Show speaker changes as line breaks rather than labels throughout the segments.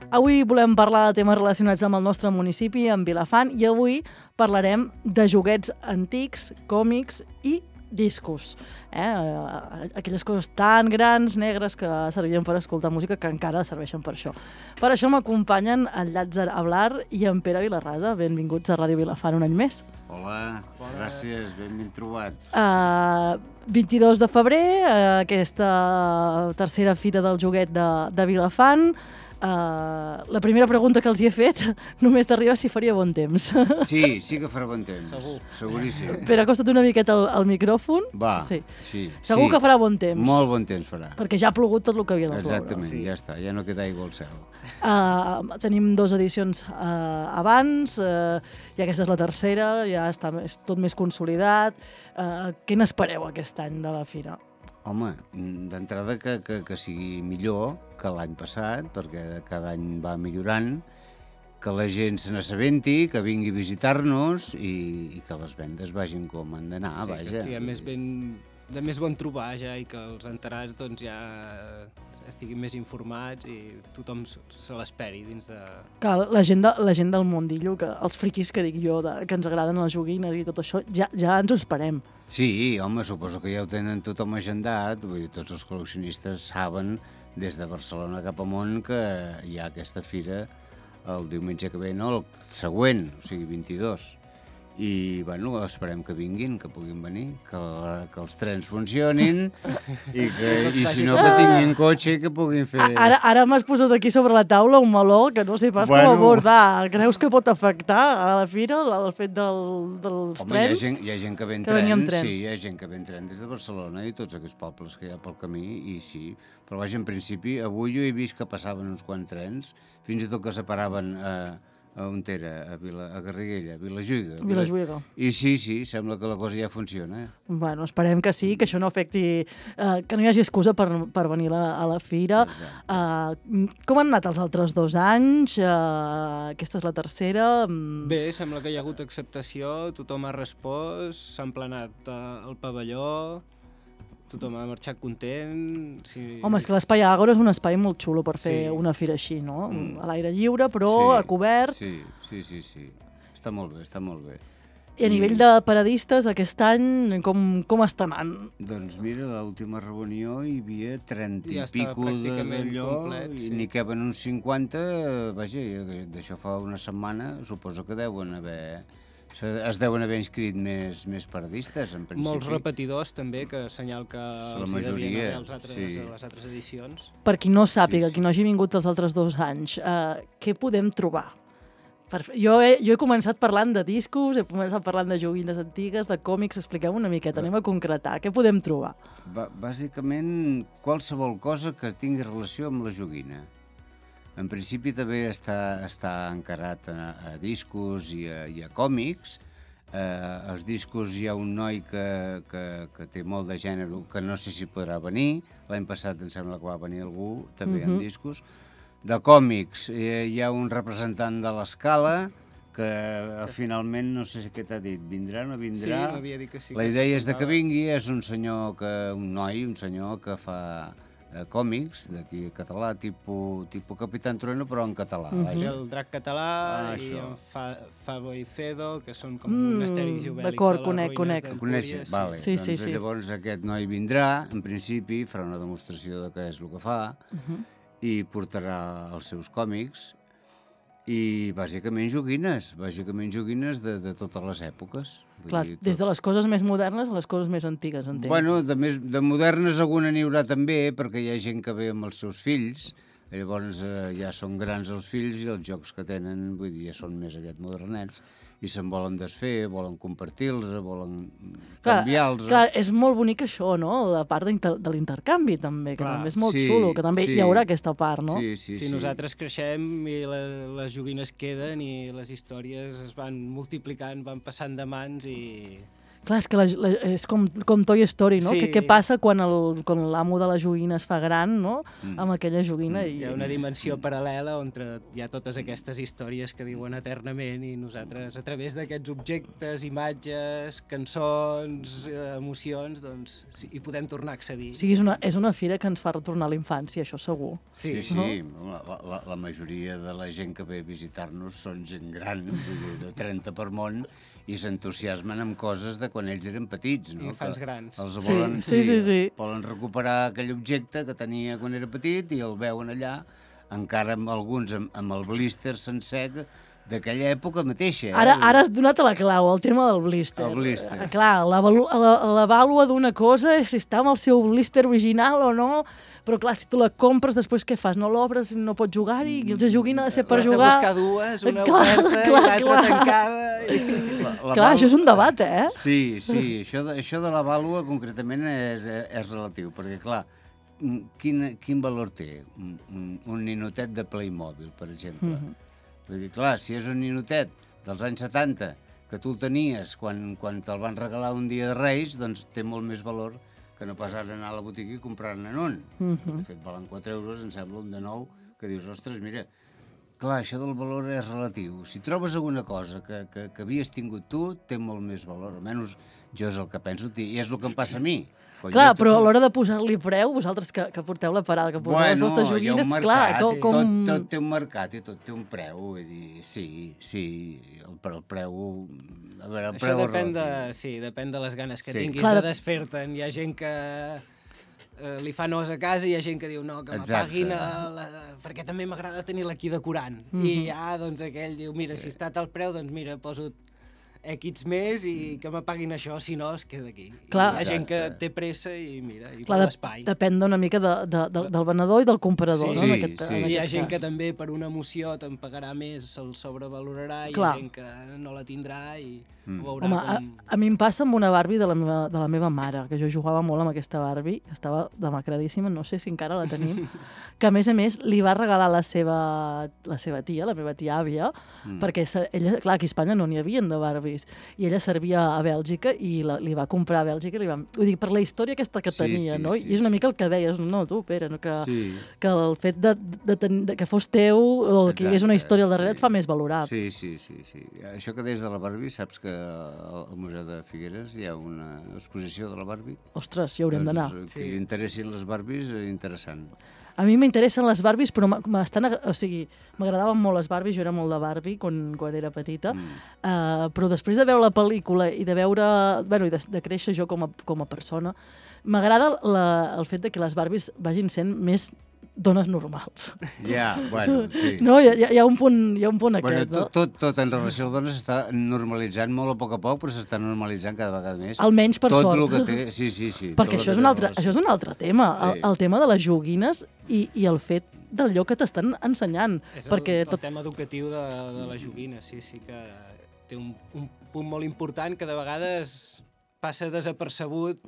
Avui volem parlar de temes relacionats amb el nostre municipi, amb Vilafant, i avui parlarem de joguets antics, còmics i discos. Aquelles coses tan grans, negres, que servien per escoltar música, que encara serveixen per això. Per això m'acompanyen en Llàtzer Ablar i en Pere Vilarrasa. Benvinguts a Ràdio Vilafant un any més.
Hola, gràcies, ben trobats.
22 de febrer, aquesta tercera fira del joguet de Vilafant. La primera pregunta que els hi he fet només t'arriba si faria bon temps.
Sí que farà bon temps. Seguríssim.
Però acosta't una miqueta al micròfon.
Va,
sí.
Segur
que farà bon temps.
Molt bon temps farà.
Perquè ja ha plogut tot el que havia de ploure.
Exactament, ja està, ja no queda aigua al cel.
Tenim 2 edicions abans, i aquesta és la tercera, ja està tot més consolidat. Què n'espereu aquest any de la fira?
Home, d'entrada que sigui millor que l'any passat, perquè cada any va millorant, que la gent se n'assabenti, que vingui a visitar-nos i que les vendes vagin com han d'anar, vaja.
Sí, que estiguem de més bon trobar ja i que els enterats doncs, ja estiguin més informats i tothom se l'esperi dins de...
Que la gent del mundillo, que els friquis que dic jo, que ens agraden les joguines i tot això, ja ens ho esperem.
Sí, home, suposo que ja ho tenen tothom agendat, vull dir, tots els col·leccionistes saben des de Barcelona cap amunt que hi ha aquesta fira el diumenge que ve, no, el següent, o sigui, 22. I, bueno, esperem que vinguin, que puguin venir, que els trens funcionin i si no, que tinguin cotxe i que puguin fer...
Ara m'has posat aquí sobre la taula un meló que no sé pas com abordar. Creus que pot afectar a la fira el fet dels trens?
Home, hi ha gent que ve en tren, sí, hi ha gent que ve en tren des de Barcelona i tots aquests pobles que hi ha pel camí, i sí. Però vaja, en principi, avui jo he vist que passaven uns quants trens, fins i tot que separaven on era, a Garriguella, a
Vilajuïga.
I sí, sembla que la cosa ja funciona.
Bueno, esperem que sí, que això no afecti, que no hi hagi excusa per venir a la fira. Com han anat els altres 2 anys? Aquesta és la tercera.
Bé, sembla que hi ha hagut acceptació, tothom ha respost, s'ha emplenat el pavelló, tothom ha marxat content. Sí.
Home, és que l'Espai Àgora és un espai molt xulo per fer una fira així, no? A l'aire lliure, però a cobert.
Sí. Està molt bé.
I a nivell de paradistes, aquest any, com està anant?
Doncs mira, a l'última reunió hi havia 30
i
pico d'allò,
complet,
i n'hi caben uns 50, vaja, d'això fa una setmana, suposo que es deuen haver inscrit més paradistes, en principi.
Molts repetidors, també, que senyal que els hi devien haver les altres edicions.
Per qui no sàpiga, qui no hagi vingut els altres 2 anys, què podem trobar? Jo he començat parlant de discos, he començat parlant de joguines antigues, de còmics. Expliqueu una miqueta, anem a concretar. Què podem trobar?
Bàsicament, qualsevol cosa que tingui relació amb la joguina. En principi també està encarat a discos i a còmics. Els discos hi ha un noi que té molt de gènere, que no sé si podrà venir. L'any passat em sembla que va venir algú, també en discos. De còmics hi ha un representant de l'Escala, que finalment no sé què t'ha dit, vindrà o no vindrà?
Sí, m'havia dit que sí.
La idea és que vingui, és un senyor que fa còmics d'aquí català, tipus Capitán Trueno, però en català.
El Drac català i en Fabo i Fedo, que són com misteris i obèlics
d'acord,
de les ruïnes
d'Empúries. Vale.
Sí.
Llavors aquest noi vindrà, en principi, farà una demostració de què és el que fa i portarà els seus còmics i bàsicament joguines de totes les èpoques.
Clar, des de les coses més modernes a les coses més antigues, entenc.
Bueno, de modernes alguna n'hi haurà també, perquè hi ha gent que ve amb els seus fills, llavors ja són grans els fills i els jocs que tenen, vull dir, ja són més aviat modernets, i se'n volen desfer, volen compartir-los, volen canviar-los.
Clar, és molt bonic això, no? La part de l'intercanvi, també, que també és molt xulo, que també hi haurà aquesta part, no?
Sí, nosaltres creixem i les joguines queden i les històries es van multiplicant, van passant de mans i...
Clar, és que és com Toy Story, no?
Sí.
Què passa quan l'amo de la joguina es fa gran, no? Amb aquella joguina.
Hi ha una dimensió paral·lela on hi ha totes aquestes històries que viuen eternament i nosaltres, a través d'aquests objectes, imatges, cançons, emocions, doncs hi podem tornar a accedir.
O sigui, és una fira que ens fa retornar a la infància, això segur.
Sí. La majoria de la gent que ve a visitar-nos són gent gran, vull dir, de 30 per món, i s'entusiasmen amb coses de quan ells eren petits, no?
Infants grans.
Els volen,
sí.
Volen recuperar aquell objecte que tenia quan era petit i el veuen allà, encara amb alguns amb el blister sencer d'aquella època mateixa.
Ara has donat a la clau, el tema del blister.
El blister.
Clar, la vàlua d'una cosa és si està amb el seu blister original o no, però clar, si tu la compres, després què fas? No l'obres, no pots jugar-hi, i la joguina ha de ser per jugar...
Has de buscar dues, una oberta i l'altra tancada...
Clar, això és un debat, eh?
Sí, això de la vàlua concretament és relatiu, perquè clar, quin valor té un ninotet de Playmobil, per exemple? Vull dir, clar, si és un ninotet dels anys 70, que tu el tenies quan te'l van regalar un dia de Reis, doncs té molt més valor que no pas ara anar a la botiga i comprar-ne un. De fet, valen 4 euros, em sembla, un de nou, que dius, ostres, mira, clar, això del valor és relatiu. Si trobes alguna cosa que havies tingut tu, té molt més valor. Almenys jo és el que penso, i és el que em passa a mi.
Clar, però a l'hora de posar-li preu, vosaltres que porteu la parada, que porteu les vostres joguines, clar, com...
Tot té un mercat i tot té un preu, vull dir, sí, el preu... A veure, el preu
això depèn de les ganes que tinguis de desfer-te'n. Hi ha gent que li fa nos a casa i hi ha gent que diu no, que m'apaguin perquè també m'agrada tenir-la aquí decorant. I ja, doncs, aquell diu, mira, si està a tal preu, doncs mira, poso X més i que m'apaguin això, si no es queda aquí.
Clar.
Hi ha gent que té pressa i mira, i
clar,
vol espai.
Depèn una mica del venedor i del comprador, no?
Hi ha gent que també per una emoció te'n pagarà més, se'l sobrevalorarà, i hi ha gent que no la tindrà i ho veurà.
Home, a mi em passa amb una Barbie de la meva mare, que jo jugava molt amb aquesta Barbie, que estava demacradíssima, no sé si encara la tenim, que a més li va regalar la seva tia, la meva tia àvia, perquè ella, clar, aquí a Espanya no n'hi havien de Barbies, i ella servia a Bèlgica i li va comprar a Bèlgica, vull dir, per la història aquesta que tenia, no? I és una mica el que deies, no, tu, Pere, que el fet que fos teu o que hi hagués una història al darrere et fa més valorable.
Sí. Això que deies de la Barbie, saps que al Museu de Figueres hi ha una exposició de la Barbie?
Ostres, hi haurem d'anar.
Que li interessin les Barbies, interessant.
A mi m'interessen les Barbies, però m'agradaven molt les Barbies, jo era molt de Barbie quan era petita, però després de veure la pel·lícula i de veure, i de créixer jo com a persona, m'agrada el fet de que les Barbies vagin sent més dones normals.
Sí.
No, hi ha un punt aquest, no?
Tot en relació a dones s'està normalitzant molt a poc, però s'està normalitzant cada vegada més.
Almenys per sort.
Tot el que té, sí.
Perquè això és un altre tema, el tema de les joguines i el fet d'allò que t'estan ensenyant.
És el tema educatiu de la joguina, sí que té un punt molt important que de vegades passa desapercebut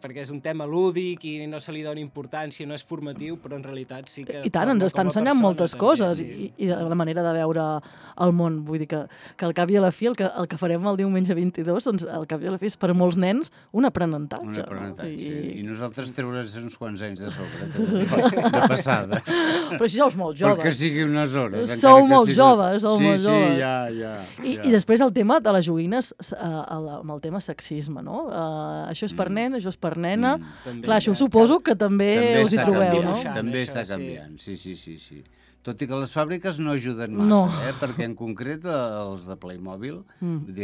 perquè és un tema lúdic i no se li dona importància, no és formatiu, però en realitat sí que...
I tant, ens està ensenyant moltes coses i de la manera de veure el món. Vull dir que al cap i a la fi el que farem el diumenge 22, doncs al cap i a la fi és per molts nens un aprenentatge.
I nosaltres treure's uns quants anys de sobre, de passada.
Però si sou molt joves.
Perquè sigui unes hores.
Sou molt joves,
Sí, ja.
I després el tema de les joguines, amb el tema sexisme, no? Això és per nen, això és per nena. Clar, això suposo que també us hi trobeu, no?
També està canviant, sí. Tot i que les fàbriques no ajuden massa, perquè en concret els de Playmobil,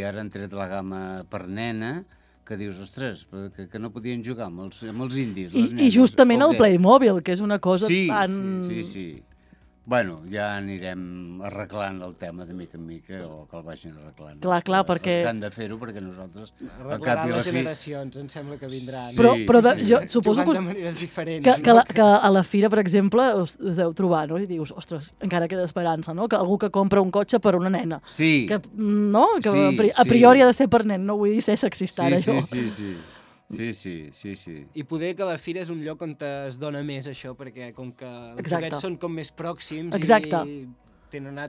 ara han tret la gamma per nena, que dius, ostres, que no podien jugar amb els indis, les nenes.
I justament el Playmobil, que és una cosa tan...
Sí. Bueno, ja anirem arreglant el tema de mica en mica, o que el vagin arreglant.
Clar, perquè...
Els que han de fer-ho, perquè nosaltres...
Arreglaran les generacions, em sembla que vindran.
Però jo suposo
que... de maneres diferents.
Que a la fira, per exemple, us deu trobar, no? I dius, ostres, encara queda esperança, no? Que algú que compra un cotxe per una nena.
Sí.
Que a priori ha de ser per nen, no vull ser sexista, ara, jo.
Sí.
I poder que la fira és un lloc on es dona més això, perquè com que els joguets són com més pròxims i tenen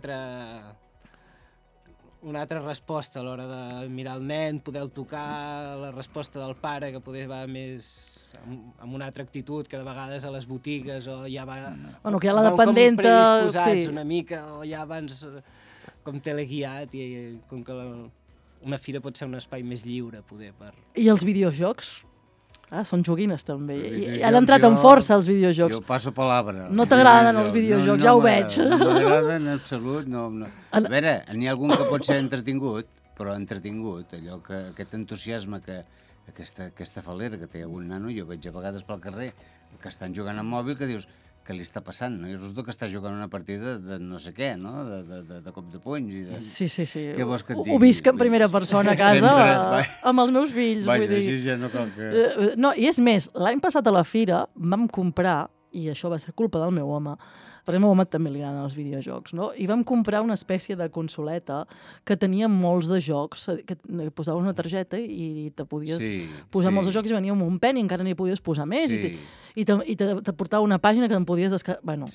una altra resposta a l'hora de mirar el nen, poder-lo tocar, la resposta del pare, que poder va més amb una altra actitud, que de vegades a les botigues o ja va...
Bueno, que hi ha la dependenta...
Com predisposats una mica, o ja abans com teleguiat, i com que una fira pot ser un espai més lliure, poder, per...
I els videojocs? Són joguines, també. I han entrat en força, els videojocs.
Jo passo palabra.
No t'agraden els videojocs, ja ho veig.
No m'agraden en absolut. No. A veure, n'hi ha algun que pot ser entretingut, però entretingut, allò que aquest entusiasme, aquesta falera que té algun nano, jo veig a vegades pel carrer que estan jugant amb mòbil, que dius, què li està passant? No? I resulta que està jugant una partida de no sé què, no? De cop de punys. I de...
Sí.
Què vols que et digui?
Ho visc en primera persona a casa, amb els meus fills.
Vaja, així ja no cal que...
No, i és més, l'any passat a la fira vam comprar, i això va ser culpa del meu home, perquè al meu home també li agraden els videojocs, no? I vam comprar una espècie de consoleta que tenia molts de jocs, que posaves una targeta i te podies posar molts de jocs, i venia amb un pen i encara n'hi podies posar més, i te portava una pàgina que en podies descarregar. Bueno,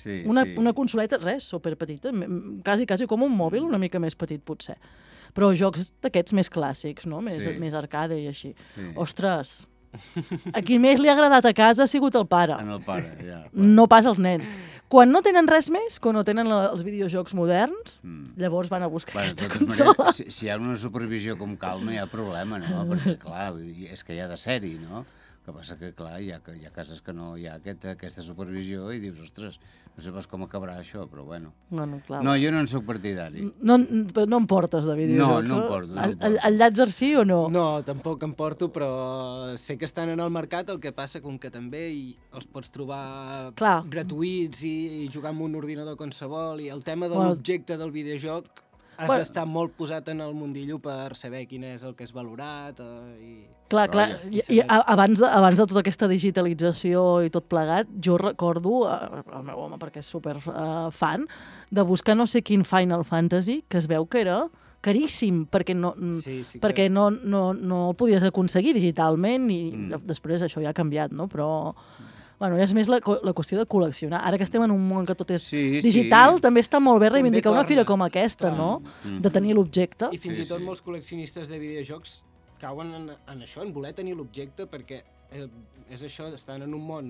una consoleta, res, superpetita, quasi com un mòbil, una mica més petit potser. Però jocs d'aquests més clàssics, no? Més arcade i així. Ostres, a qui més li ha agradat a casa ha sigut el pare.
En el pare, ja.
No pas els nens. Quan no tenen res més, quan no tenen els videojocs moderns, llavors van a buscar aquesta consola.
Si hi ha una supervisió com cal, no hi ha problema, no? Perquè, clar, és que hi ha de ser-hi, no? El que passa que, clar, hi ha cases que no hi ha aquesta supervisió i dius, ostres, no sé pas com acabarà això, però bueno. No, jo no en soc partidari.
No em portes de videojocs?
No em porto.
El Llàtzer sí o no?
No, tampoc em porto, però sé que estan en el mercat, el que passa com que també els pots trobar gratuïts i jugar amb un ordinador qualsevol, i el tema de l'objecte del videojoc has d'estar molt posat en el mundillo per saber quin és el que és valorat i...
Clar, i abans de tota aquesta digitalització i tot plegat, jo recordo, el meu home, perquè és super fan, de buscar no sé quin Final Fantasy, que es veu que era caríssim, perquè no el podies aconseguir digitalment, i després això ja ha canviat, no? Però... Bueno, és més la qüestió de col·leccionar. Ara que estem en un món que tot és digital, també està molt bé reivindicar una fira com aquesta, no? De tenir l'objecte.
I fins i tot molts col·leccionistes de videojocs cauen en això, en voler tenir l'objecte, perquè és això, estan en un món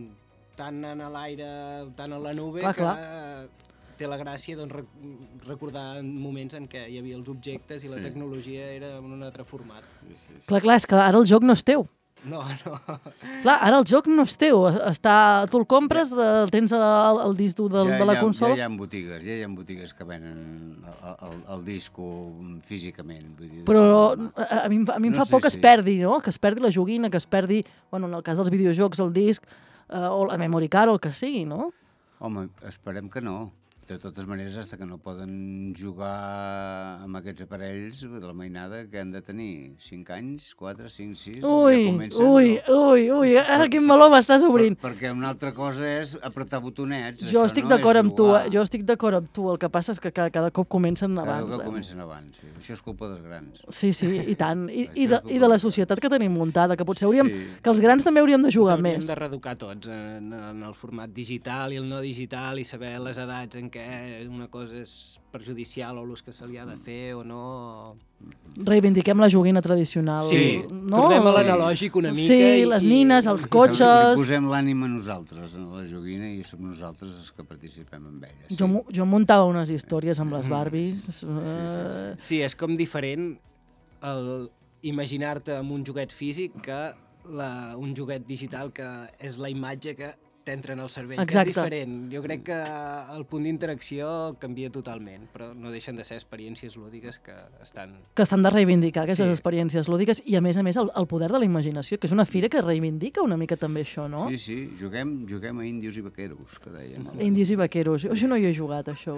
tan en l'aire, tan a la nube, que té la gràcia recordar moments en què hi havia els objectes i la tecnologia era en un altre format.
Clar, és que ara el joc no és teu.
No.
Clar, ara el joc no és teu. Tu el compres, el tens al disc dur de la consola...
Ja hi ha botigues que venen el disco físicament.
Però a mi em fa por que es perdi, no? Que es perdi la joguina, que es perdi, en el cas dels videojocs, el disc, o la memory card, o el que sigui, no?
Home, esperem que no. De totes maneres, fins que no poden jugar amb aquests aparells de la mainada, que han de tenir 5 anys, 4, 5, 6... Ui,
ara quin meló m'estàs obrint.
Perquè una altra cosa és apretar botonets.
Jo estic d'acord amb tu, el que passa és que cada cop comencen abans.
Cada cop comencen abans, sí. Això és culpa dels grans.
Sí, i tant. I de la societat que tenim muntada, que potser que els grans també hauríem de jugar més.
Hauríem de reeducar tots en el format digital i el no digital, i saber les edats en que una cosa és perjudicial o l'ús que se li ha de fer o no...
Reivindiquem la joguina tradicional.
Sí, tornem a l'analògic una mica.
Sí, les nines, els cotxes...
I posem l'ànima nosaltres en la joguina i som nosaltres els que participem amb elles.
Jo muntava unes històries amb les Barbies.
Sí, és com diferent imaginar-te amb un joguet físic que un joguet digital que és la imatge que t'entra en el cervell, que és diferent. Jo crec que el punt d'interacció canvia totalment, però no deixen de ser experiències lúdiques que estan...
Que s'han de reivindicar, aquestes experiències lúdiques, i a més el poder de la imaginació, que és una fira que reivindica una mica també això, no?
Sí, juguem a índios i vaqueros, que dèiem.
Índios i vaqueros. Això no hi he jugat, això.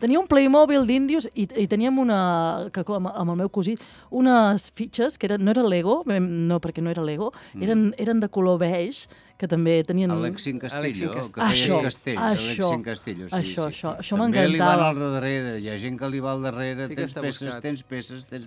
Tenia un Playmobil d'índios i teníem amb el meu cosí, unes fitxes que no era Lego, no, perquè no era Lego, eren de color beige, que també tenien...
Alexin Castillo, que feia castells. Alexin Castillo, sí.
Això m'encantava.
També li van al darrere, hi ha gent que li va al darrere, tens peces...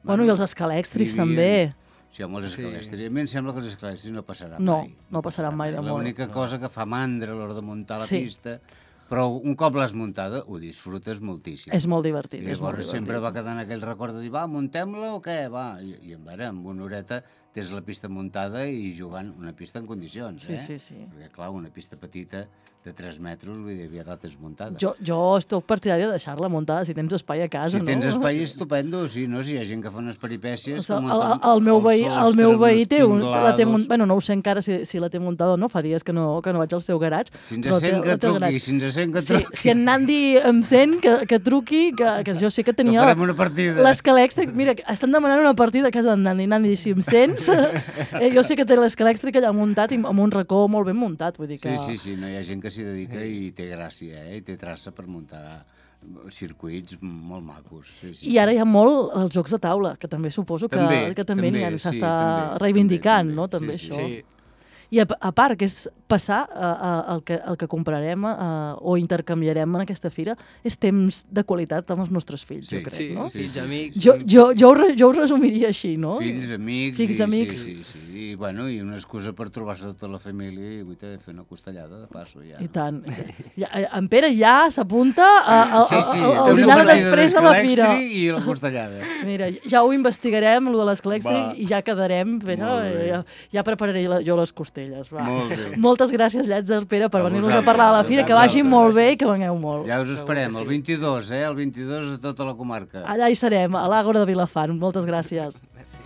Bueno, i els escalèxtrics també.
Sí, home, els escalèxtrics. A mi em sembla que els escalèxtrics no passaran mai.
No passaran mai de molt.
L'única cosa que fa mandra a l'hora de muntar la pista Però un cop l'has muntada, ho disfrutes moltíssim.
És molt divertit.
I llavors sempre va quedant aquell record de dir, va, muntem-la o què? Va. I amb una horeta tens la pista muntada i jugant una pista en condicions,
Sí.
Perquè, clar, una pista petita de 3 metres, vull dir, aviat la tens muntada.
Jo estic partidària de deixar-la muntada si tens espai a casa, no?
Si tens espai, estupendo, sí, no? Si hi ha gent que fa unes peripècies...
El meu veí té bueno, no ho sé encara si la té muntada o no, fa dies que no vaig al seu garatge.
Si ens sent que truqui,
Si en Nandi em sent, que truqui, que jo sé que tenia...
farem una partida.
L'escala elèctrica, mira, estan demanant una partida a casa d'en Nandi. Nandi, si em sents, jo sé que té l'escala elèctrica allà muntat i amb un racó molt ben muntat, vull dir que...
Sí, no hi ha gent que s'hi dedica i té gràcia, i té traça per muntar circuits molt macos. Sí.
I ara hi ha molt els jocs de taula, que també suposo que també s'està reivindicant, no? També això.
Sí.
I a part, que és passar el que comprarem o intercanviarem en aquesta fira, és temps de qualitat amb els nostres fills, jo crec, no?
Fills, amics...
Jo ho resumiria així, no?
Fills, amics... Sí. I una excusa per trobar-se tota la família i fer una costellada de passo, ja.
I tant. En Pere ja s'apunta al dinar després de la fira.
I la costellada.
Mira, ja ho investigarem, allò de l'escalèxtric, i ja quedarem, Pere, ja prepararé jo les costelles. Va. Moltes gràcies, Llàtzer, Pere, per venir-nos a parlar de la fira, que vagi molt bé i que vengueu molt.
Ja us esperem, el 22, el 22 a tota la comarca.
Allà hi serem, a l'Àgora de Vilafant. Moltes gràcies.
Merci.